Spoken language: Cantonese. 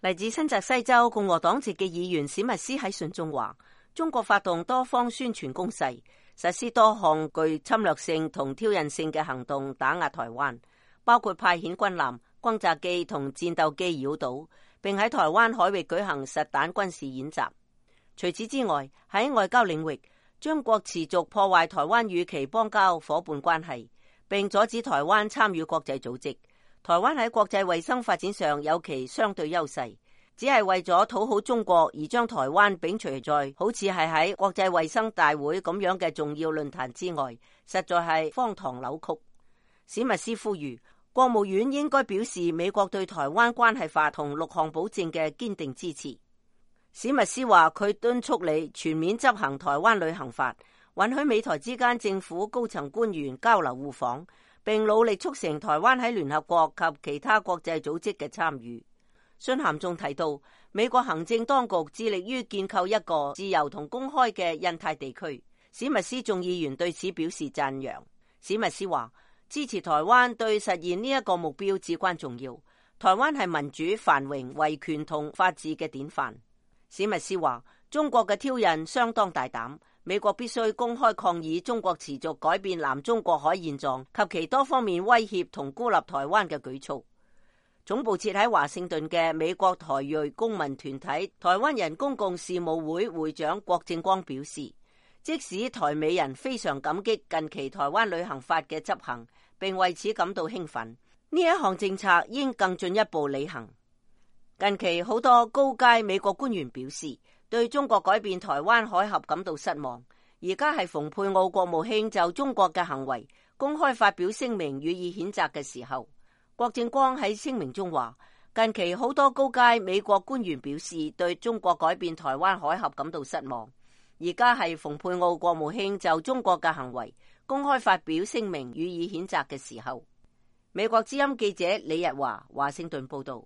嚟自新澤西州共和黨籍嘅議員史密斯喺信中話，中國發動多方宣傳攻勢，實施多項具侵略性同挑釁性嘅行動打壓台灣，包括派遣軍艦、轟炸機同戰鬥機繞島，並喺台灣海域舉行實彈軍事演習。除此之外，喺外交領域，中國持續破壞台灣與其邦交夥伴關係，並阻止台灣參與國際組織。台灣喺國際衛生發展上有其相對優勢，只係為咗討好中國而將台灣摒除在好似係喺國際衛生大會咁樣嘅重要論壇之外，實在係荒唐扭曲。史密斯呼籲國務院應該表示美國對台灣關係法同6項保證嘅堅定支持。史密斯話佢敦促你全面執行台灣旅行法，允許美台之間政府高層官員交流互訪，並努力促成台灣喺聯合國及其他國際組織嘅參與。信函仲提到，美國行政當局致力於建構一個自由同公開嘅印太地區。史密斯眾議員對此表示讚揚。史密斯話，支持台灣對實現呢一個目標至關重要。台灣係民主、繁榮、維權同法治嘅典範。史密斯話，中國嘅挑釁相當大膽，美國必須公開抗議中國持續改變南中國海現狀及其多方面威脅同孤立台灣嘅舉措。總部設喺華盛頓嘅美國台裔公民團體台灣人公共事務會會長郭正光表示，即使台美人非常感激近期台灣旅行法嘅執行，並為此感到興奮，呢一項政策應更進一步履行。近期好多高階美國官員表示，對中國改變台灣海峽感到失望。而家係蓬佩奧國務卿就中國嘅行為公開發表聲明予以譴責嘅時候。郭正光喺聲明中話，近期好多高階美國官員表示對中國改變台灣海峽感到失望。而家係蓬佩奧國務卿就中國嘅行為公開發表聲明予以譴責嘅時候。美國之音記者李日華華盛頓報道。